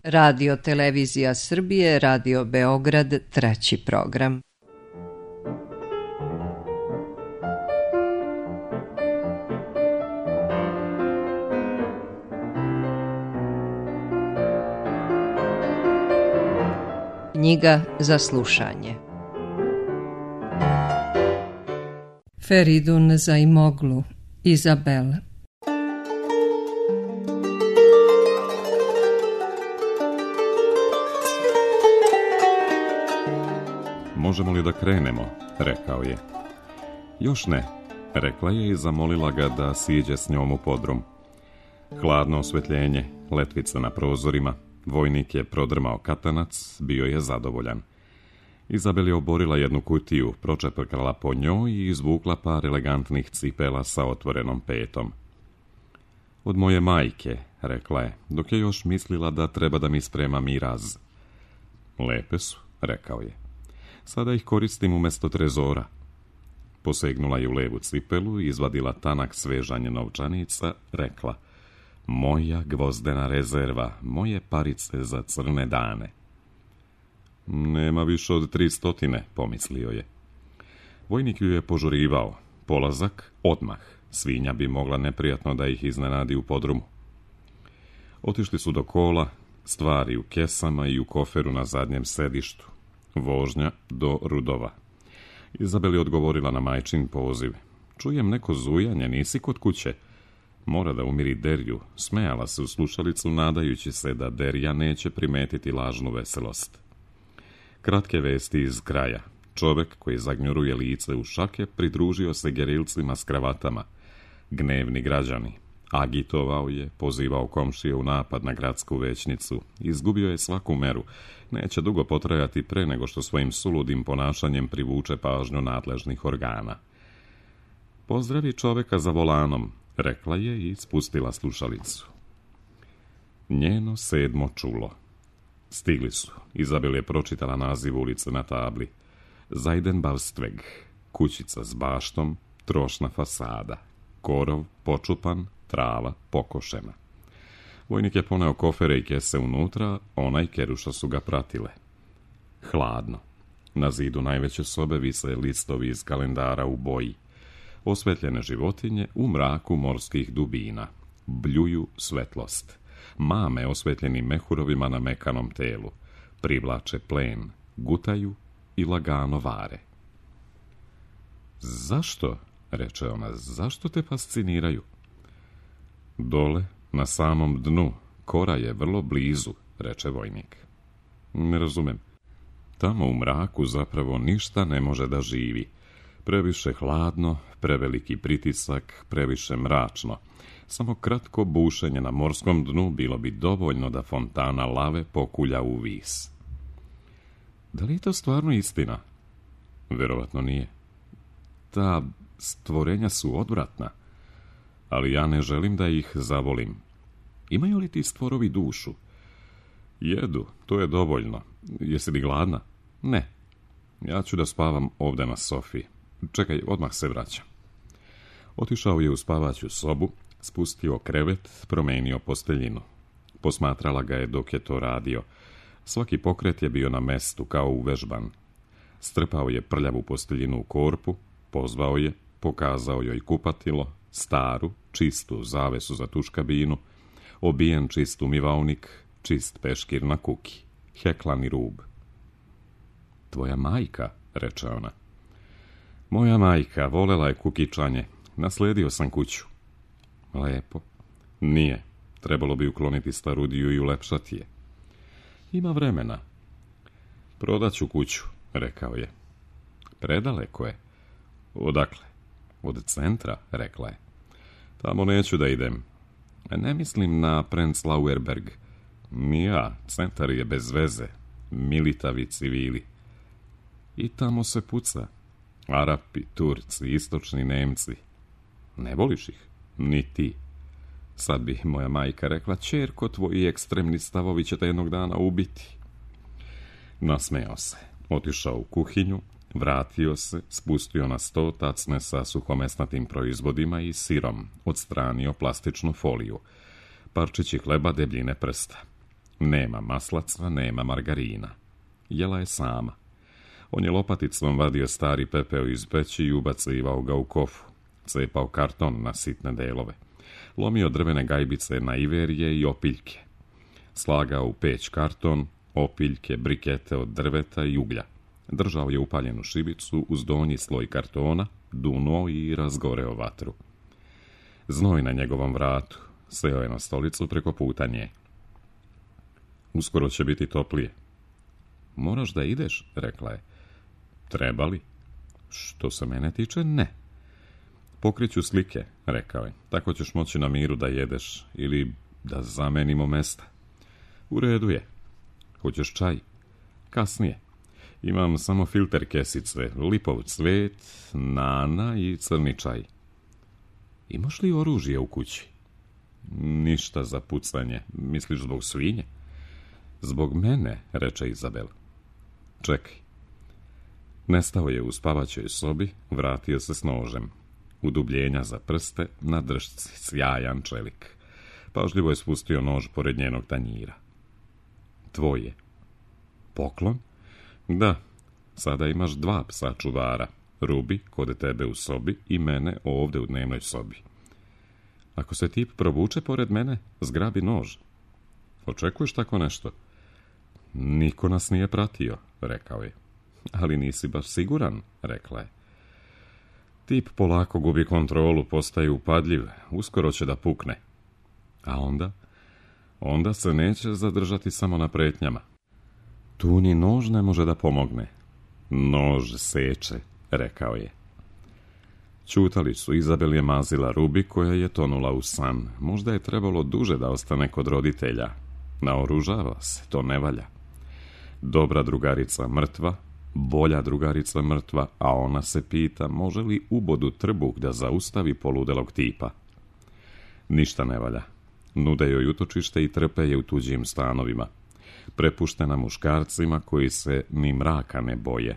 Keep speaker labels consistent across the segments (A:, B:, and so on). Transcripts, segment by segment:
A: Radio Televizija Srbije, Radio Beograd, 3. program. Knjiga za slušanje. Feridun Zaimoglu, Izabel.
B: Možemo li da krenemo, rekao je. Još ne, rekla je i zamolila ga da siđe s njom u podrum. Hladno osvetljenje, letvica na prozorima, vojnik je prodrmao katanac, bio je zadovoljan. Izabel je oborila jednu kutiju, pročeprkala po njoj i izvukla par elegantnih cipela sa otvorenom petom. Od moje majke, rekla je, dok je još mislila da treba da mi sprema miraz. Lepe su, rekao je. Sada ih koristim umjesto trezora. Posegnula je u levu cipelu, izvadila tanak svežanje novčanica, rekla: moja gvozdena rezerva, moje parice za crne dane. Nema više od 300, pomislio je. Vojnik ju je požurivao. Polazak odmah. Svinja bi mogla neprijatno da ih iznenadi u podrumu. Otišli su do kola, stvari u kesama i u koferu na zadnjem sedištu. Vožnja do Rudova. Izabel je odgovorila na majčin poziv. Čujem neko zujanje, nisi kod kuće? Mora da umiri Derju. Smejala se u slušalicu, nadajući se da Derja neće primetiti lažnu veselost. Kratke vesti iz kraja. Čovek koji zagnjuruje lice u šake pridružio se gerilcima s kravatama. Gnevni građani. Agitovao je, pozivao komšije u napad na gradsku većnicu. Izgubio je svaku meru. Neće dugo potrajati pre nego što svojim suludim ponašanjem privuče pažnju nadležnih organa. Pozdravi čoveka za volanom, rekla je i spustila slušalicu. Njeno 7. čulo. Stigli su. Izabel je pročitala naziv ulice na tabli. Zajdenbaustveg, kućica s baštom, trošna fasada, korov počupan, trava pokošena. Vojnik je poneo kofere i kese unutra, ona i Keruša su ga pratile. Hladno. Na zidu najveće sobe vise listovi iz kalendara u boji. Osvetljene životinje u mraku morskih dubina. Bljuju svetlost. Mame osvetljenim mehurovima na mekanom telu. Privlače plen, gutaju i lagano vare. Zašto, reče ona, zašto te fasciniraju? Dole, na samom dnu, kora je vrlo blizu, reče vojnik. Ne razumem. Tamo u mraku zapravo ništa ne može da živi. Previše hladno, preveliki pritisak, previše mračno. Samo kratko bušenje na morskom dnu bilo bi dovoljno da fontana lave pokulja u vis. Da li je to stvarno istina? Verovatno nije. Ta stvorenja su odvratna, ali ja ne želim da ih zavolim. Imaju li ti stvorovi dušu? Jedu, to je dovoljno. Jesi li gladna? Ne. Ja ću da spavam ovde na sofi. Čekaj, odmah se vraćam. Otišao je u spavaću sobu, spustio krevet, promenio posteljinu. Posmatrala ga je dok je to radio. Svaki pokret je bio na mestu, kao uvežban. Strpao je prljavu posteljinu u korpu, pozvao je, pokazao joj kupatilo, staru, čistu zavesu za tuš kabinu, obijen čist umivaonik, čist peškir na kuki, heklani rub. Tvoja majka, reče ona. Moja majka, volela je kukičanje, nasledio sam kuću. Lepo. Nije, trebalo bi ukloniti starudiju i ulepšati je. Ima vremena. Prodaću kuću, rekao je. Predaleko je. Odakle? Od centra, rekla je. Tamo neću da idem. Ne mislim na Prenzlauerberg. Ni ja, centar je bez veze. Militavi civili. I tamo se puca. Arapi, Turci, istočni Nemci. Ne voliš ih? Ni ti. Sad bi moja majka rekla, ćerko, tvoji ekstremni stavovi će te jednog dana ubiti. Nasmejao se. Otišao u kuhinju, vratio se, spustio na sto tacne sa suhomesnatim proizvodima i sirom, odstranio plastičnu foliju. Parčići hleba debljine prsta. Nema maslaca, nema margarina. Jela je sama. On je lopaticom vadio stari pepeo iz peći i ubacivao ga u kofu. Cepao karton na sitne delove. Lomio drvene gajbice na iverije i opiljke. Slagao u peć karton, opiljke, brikete od drveta i uglja. Držao je upaljenu šibicu uz donji sloj kartona, dunuo i razgoreo vatru. Znoj na njegovom vratu. Seo je na stolicu preko puta nje. Uskoro će biti toplije. Moraš da ideš, rekla je. Treba li? Što se mene tiče, ne. Pokriću slike, rekao je. Tako ćeš moći na miru da jedeš ili da zamenimo mesta. U redu je. Hoćeš čaj? Kasnije. Imam samo filter kesice, lipov cvet, nana i crni čaj. Imaš li oružje u kući? Ništa za pucanje. Misliš zbog svinje? Zbog mene, reče Izabel. Čekaj. Nestao je u spavaćoj sobi, vratio se s nožem. Udubljenja za prste, na držci sjajan čelik. Pažljivo je spustio nož pored njenog tanjira. Tvoje. Poklon? Da, sada imaš 2 psa čuvara. Rubi, kod tebe u sobi, i mene ovdje u dnevnoj sobi. Ako se tip provuče pored mene, zgrabi nož. Očekuješ tako nešto? Niko nas nije pratio, rekao je. Ali nisi baš siguran, rekla je. Tip polako gubi kontrolu, postaje upadljiv, uskoro će da pukne. A onda? Onda se neće zadržati samo na pretnjama. Tu ni nož ne može da pomogne. Nož seče, rekao je. Ćutali su, Izabel je mazila Rubi koja je tonula u san. Možda je trebalo duže da ostane kod roditelja. Naoružava se, to ne valja. Dobra drugarica mrtva, bolja drugarica mrtva, a ona se pita može li ubodu trbuh da zaustavi poludelog tipa. Ništa ne valja. Nude joj utočište i trpe je u tuđim stanovima. Prepuštena muškarcima koji se ni mraka ne boje.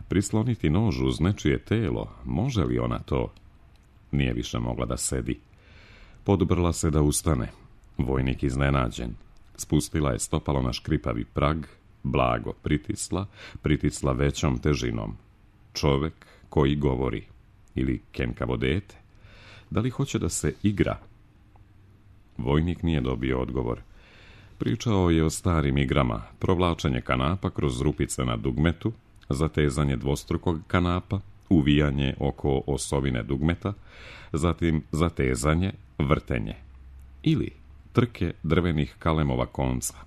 B: Prisloniti nož uz nečije telo, može li ona to? Nije više mogla da sedi. Podobrla se da ustane. Vojnik iznenađen. Spustila je stopalo na škripavi prag, blago pritisla većom težinom. Čovek koji govori. Ili kenkavo dete. Da li hoće da se igra? Vojnik nije dobio odgovor. Pričao je o starim igrama, provlačenje kanapa kroz rupice na dugmetu, zatezanje dvostrukog kanapa, uvijanje oko osovine dugmeta, zatim zatezanje, vrtenje. Ili trke drvenih kalemova konca.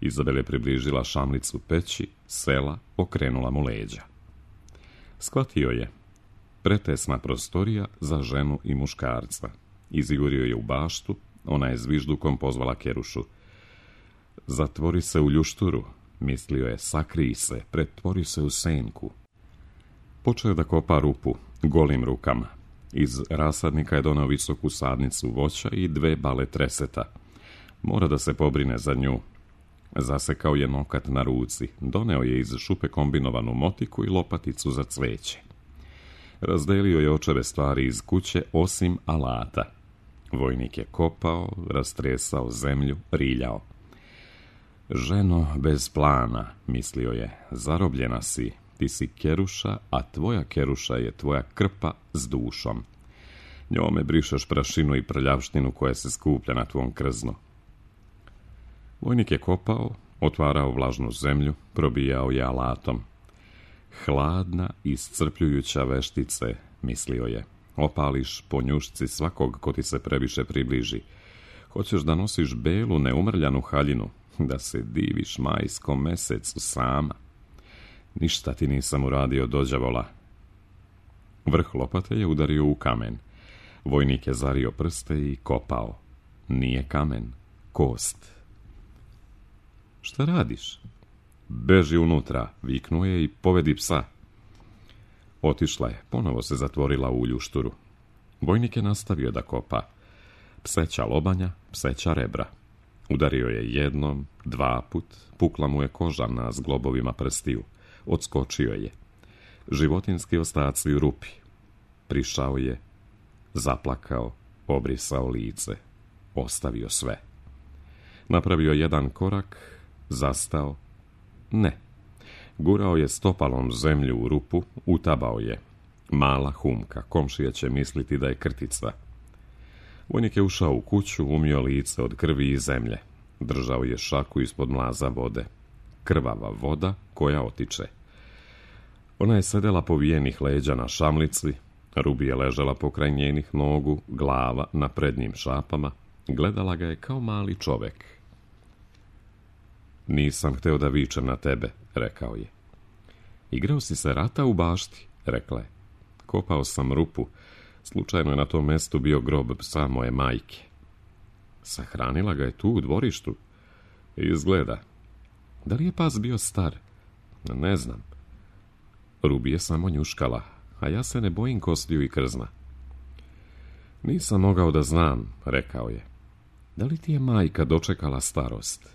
B: Izabel je približila šamlicu peći, sela, okrenula mu leđa. Shvatio je. Pretesna prostorija za ženu i muškarca. Izjurio je u baštu, ona je zviždukom pozvala Kerušu. Zatvori se u ljušturu, mislio je, sakrij se, pretvori se u senku. Počeo je da kopa rupu, golim rukama. Iz rasadnika je doneo visoku sadnicu voća i 2 bale treseta. Mora da se pobrine za nju. Zasekao je nokat na ruci, doneo je iz šupe kombinovanu motiku i lopaticu za cveće. Razdelio je očeve stvari iz kuće osim alata. Vojnik je kopao, rastresao zemlju, riljao. Ženo bez plana, mislio je, zarobljena si, ti si Keruša, a tvoja Keruša je tvoja krpa s dušom. Njome brišeš prašinu i prljavštinu koja se skuplja na tvom krznu. Vojnik je kopao, otvarao vlažnu zemlju, probijao je alatom. Hladna, iscrpljujuća veštice, mislio je. Opališ po njušci svakog ko ti se previše približi. Hoćeš da nosiš belu, neumrljanu haljinu, da se diviš majskom mesecu sama. Ništa ti nisam uradio, dođavola. Vrh lopate je udario u kamen. Vojnik je zario prste i kopao. Nije kamen, kost. Šta radiš? Beži unutra, viknuo je i povedi psa. Otišla je, ponovo se zatvorila u ljušturu. Vojnik je nastavio da kopa. Pseća lobanja, pseća rebra. Udario je jednom, 2 put, pukla mu je koža na zglobovima prstiju. Odskočio je. Životinski ostaci u rupi. Prišao je, zaplakao, obrisao lice. Ostavio sve. Napravio jedan korak, zastao. Ne. Gurao je stopalom zemlju u rupu, utabao je. Mala humka, komšija će misliti da je krtica. Vojnik je ušao u kuću, umio lice od krvi i zemlje. Držao je šaku ispod mlaza vode. Krvava voda koja otiče. Ona je sedela povijenih leđa na šamlici, Rubi je ležala pokraj njenih nogu, glava na prednjim šapama. Gledala ga je kao mali čovek. Nisam hteo da vičem na tebe, rekao je. Igrao si se rata u bašti, rekla je. Kopao sam rupu. Slučajno je na tom mestu bio grob psa moje majke. Sahranila ga je tu u dvorištu. Izgleda. Da li je pas bio star? Ne znam. Rubi je samo njuškala, a ja se ne bojim kostiju i krzna. Nisam mogao da znam, rekao je. Da li ti je majka dočekala starost?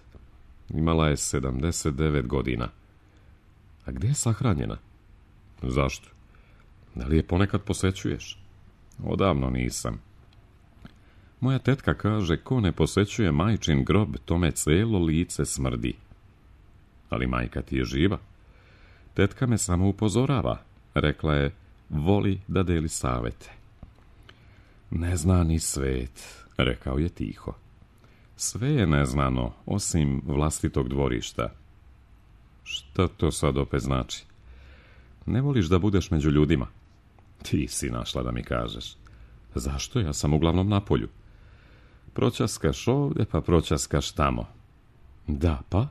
B: Imala je 79 godina. A gdje je sahranjena? Zašto? Da li je ponekad posećuješ? Odavno nisam. Moja tetka kaže, ko ne posećuje majčin grob, tome celo lice smrdi. Ali majka ti je živa. Tetka me samo upozorava, rekla je, voli da deli savete. Ne zna ni svet, rekao je tiho. Sve je neznano, osim vlastitog dvorišta. Šta to sad opet znači? Ne voliš da budeš među ljudima? Ti si našla da mi kažeš. Zašto? Ja sam uglavnom na polju. Proćaskaš ovdje, pa proćaskaš tamo. Da, pa?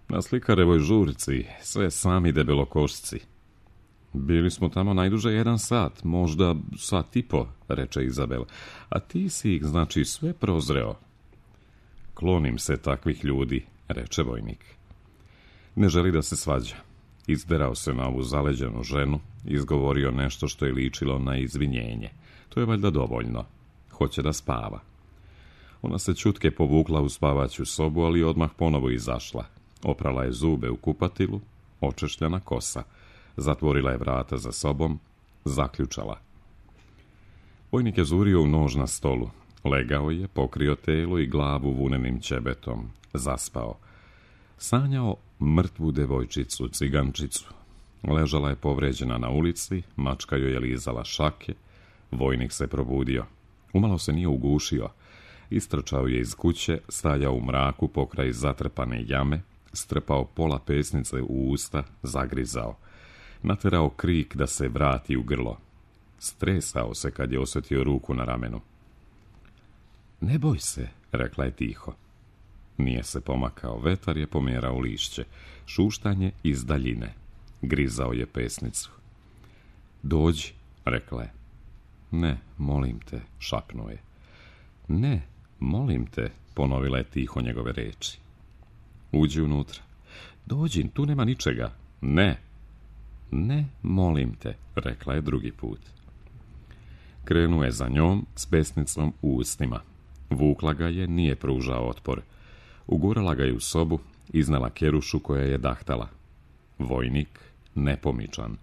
B: Na Slikarevoj žurci, sve sami debelokošci. Bili smo tamo najduže 1 sat, možda sat i po, reče Izabel. A ti si ih, znači, sve prozreo. Klonim se takvih ljudi, reče vojnik. Ne želi da se svađa. Izderao se na ovu zaleđenu ženu, izgovorio nešto što je ličilo na izvinjenje. To je valjda dovoljno. Hoće da spava. Ona se čutke povukla u spavaću sobu, ali odmah ponovo izašla. Oprala je zube u kupatilu, očešljana kosa. Zatvorila je vrata za sobom, zaključala. Vojnik je zurio u nož na stolu. Legao je, pokrio telo i glavu vunenim ćebetom. Zaspao. Sanjao mrtvu devojčicu, cigančicu. Ležala je povređena na ulici, mačka joj je lizala šake. Vojnik se probudio. Umalo se nije ugušio. Istrčao je iz kuće, stajao u mraku pokraj zatrpane jame, strpao pola pesnice u usta, zagrizao. Naterao krik da se vrati u grlo. Stresao se kad je osjetio ruku na ramenu. Ne boj se, rekla je tiho. Nije se pomakao, vetar je pomjerao lišće. Šuštanje iz daljine. Grizao je pesnicu. Dođi, rekla je. Ne, molim te, šapnuo je. Ne, molim te, ponovila je tiho njegove reči. Uđi unutra. Dođi, tu nema ničega. Ne. Ne, molim te, rekla je drugi put. Krenuo je za njom s pesnicom u ustima. Vukla ga je, nije pružao otpor. Ugurala ga je u sobu, iznala kerušu koja je dahtala. Vojnik, nepomičan.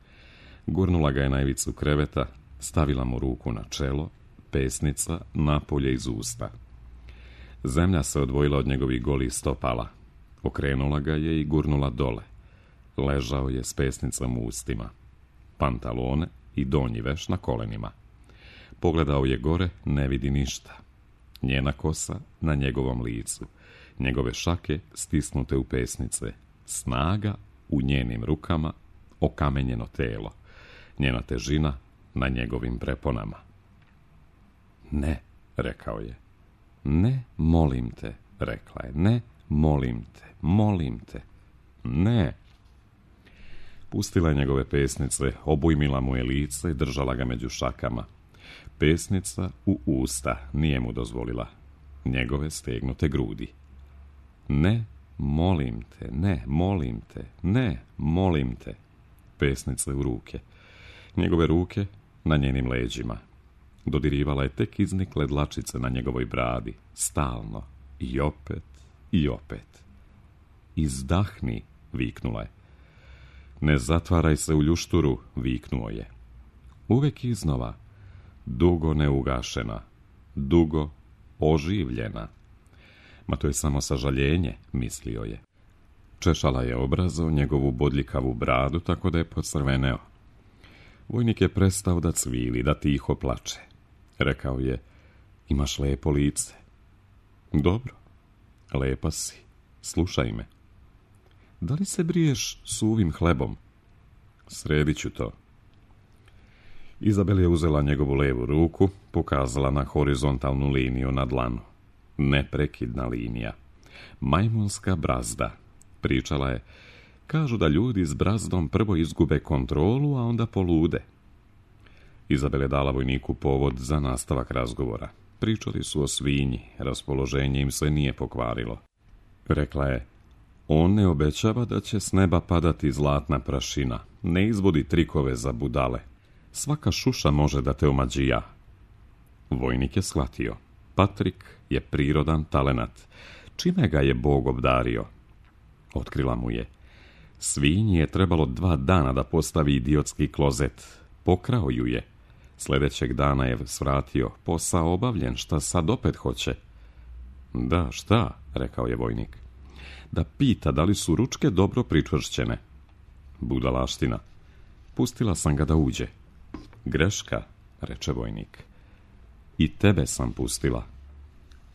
B: Gurnula ga je na ivicu kreveta, stavila mu ruku na čelo, pesnica napolje iz usta. Zemlja se odvojila od njegovih golih stopala. Okrenula ga je i gurnula dole. Ležao je s pesnicom u ustima. Pantalone i donji veš na kolenima. Pogledao je gore, ne vidi ništa. Njena kosa na njegovom licu. Njegove šake stisnute u pesnice. Snaga u njenim rukama, okamenjeno telo. Njena težina na njegovim preponama. Ne, rekao je. Ne, molim te, rekla je. Ne, molim te, molim te. Ne. Pustila je njegove pesnice, obujmila mu je lice i držala ga među šakama. Pesnica u usta nije mu dozvolila. Njegove stegnute grudi. Ne, molim te, ne, molim te, ne, molim te. Pesnice u ruke. Njegove ruke na njenim leđima. Dodirivala je tek iznikle dlačice na njegovoj bradi. Stalno. I opet, i opet. Izdahni, viknula je. Ne zatvaraj se u ljušturu, viknuo je. Uvek iznova. Dugo neugašena. Dugo oživljena. Ma to je samo sažaljenje, mislio je. Češala je obrazo, njegovu bodljikavu bradu, tako da je pocrveneo. Vojnik je prestao da cvili, da tiho plače. Rekao je, imaš lepo lice. Dobro, lepa si, slušaj me. Da li se briješ suvim hlebom? Sredit ću to. Izabel je uzela njegovu levu ruku, pokazala na horizontalnu liniju na dlanu. Neprekidna linija. Majmunska brazda. Pričala je, kažu da ljudi s brazdom prvo izgube kontrolu, a onda polude. Izabel je dala vojniku povod za nastavak razgovora. Pričali su o svinji, raspoloženje im se nije pokvarilo. Rekla je, on ne obećava da će s neba padati zlatna prašina, ne izvodi trikove za budale. Svaka šuša može da te omađija. Vojnik je shvatio. Patrik je prirodan talenat. Čime ga je Bog obdario? Otkrila mu je. Svinji je trebalo 2 dana da postavi idiotski klozet. Pokrao ju je. Sljedećeg dana je svratio. Posao obavljen, šta sad opet hoće? Da, šta, rekao je vojnik. Da pita da li su ručke dobro pričvršćene. Budalaština. Pustila sam ga da uđe. Greška, reče vojnik. I tebe sam pustila.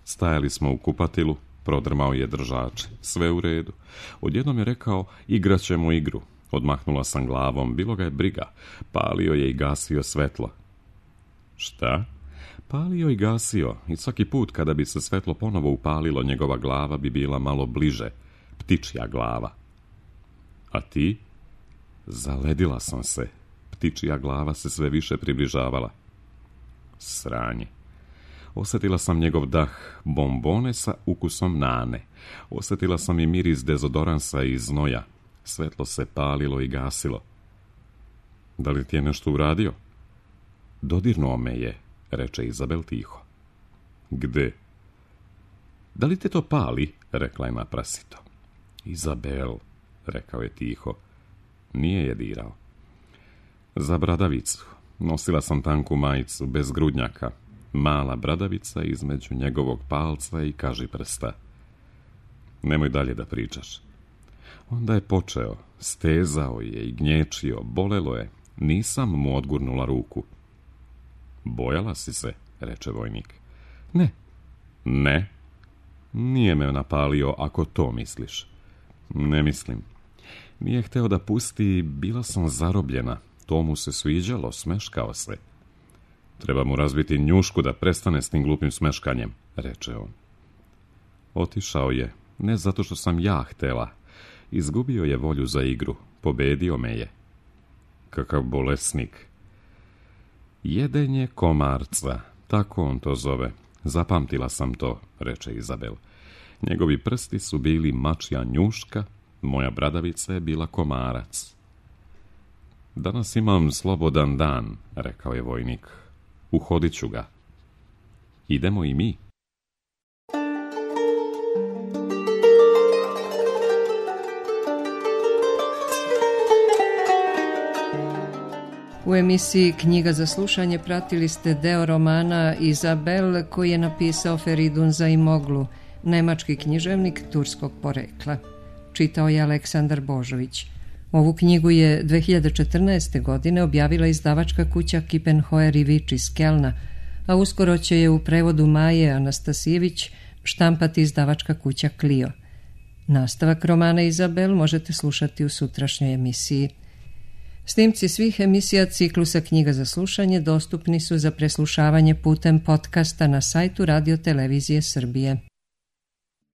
B: Stajali smo u kupatilu, prodrmao je držač. Sve u redu. Odjednom je rekao, igraćemo igru. Odmahnula sam glavom, bilo ga je briga. Palio je i gasio svetlo. Šta? Palio i gasio, i svaki put kada bi se svetlo ponovo upalilo, njegova glava bi bila malo bliže. Ptičja glava. A ti? Zaledila sam se. Ptičja glava se sve više približavala. Sranje. Osjetila sam njegov dah, bombone sa ukusom nane. Osjetila sam i miris dezodoransa i znoja. Svetlo se palilo i gasilo. Da li ti je nešto uradio? Dodirnuo me je, reče Izabel tiho. Gde? Da li te to pali? Rekla je naprasito. Izabel, rekao je tiho. Nije je dirao. Za bradavicu. Nosila sam tanku majicu, bez grudnjaka. Mala bradavica između njegovog palca i kažiprsta. Nemoj dalje da pričaš. Onda je počeo. Stezao je i gnječio. Bolelo je. Nisam mu odgurnula ruku. Bojala si se, reče vojnik. Ne. Ne? Nije me napalio, ako to misliš. Ne mislim. Nije hteo da pusti, bila sam zarobljena. To mu se sviđalo, smeškao se. Treba mu razbiti njušku da prestane s tim glupim smeškanjem, reče on. Otišao je, ne zato što sam ja htela. Izgubio je volju za igru, pobedio me je. Kakav bolesnik. Jedenje komarca, tako on to zove. Zapamtila sam to, reče Izabel. Njegovi prsti su bili mačja njuška, moja bradavica je bila komarac. Danas imam slobodan dan, rekao je vojnik. Uhodit ću ga. Idemo i mi.
A: U emisiji Knjiga za slušanje pratili ste deo romana Izabel koji je napisao Feridun Zaimoglu, nemački književnik turskog porekla. Čitao je Aleksandar Božović. Ovu knjigu je 2014. godine objavila izdavačka kuća Kippenhoer i Vič iz Kelna, a uskoro će je u prevodu Maje Anastasijević štampati izdavačka kuća Clio. Nastavak romana Izabel možete slušati u sutrašnjoj emisiji. Snimci svih emisija ciklusa Knjiga za slušanje dostupni su za preslušavanje putem podcasta na sajtu Radio Televizije Srbije.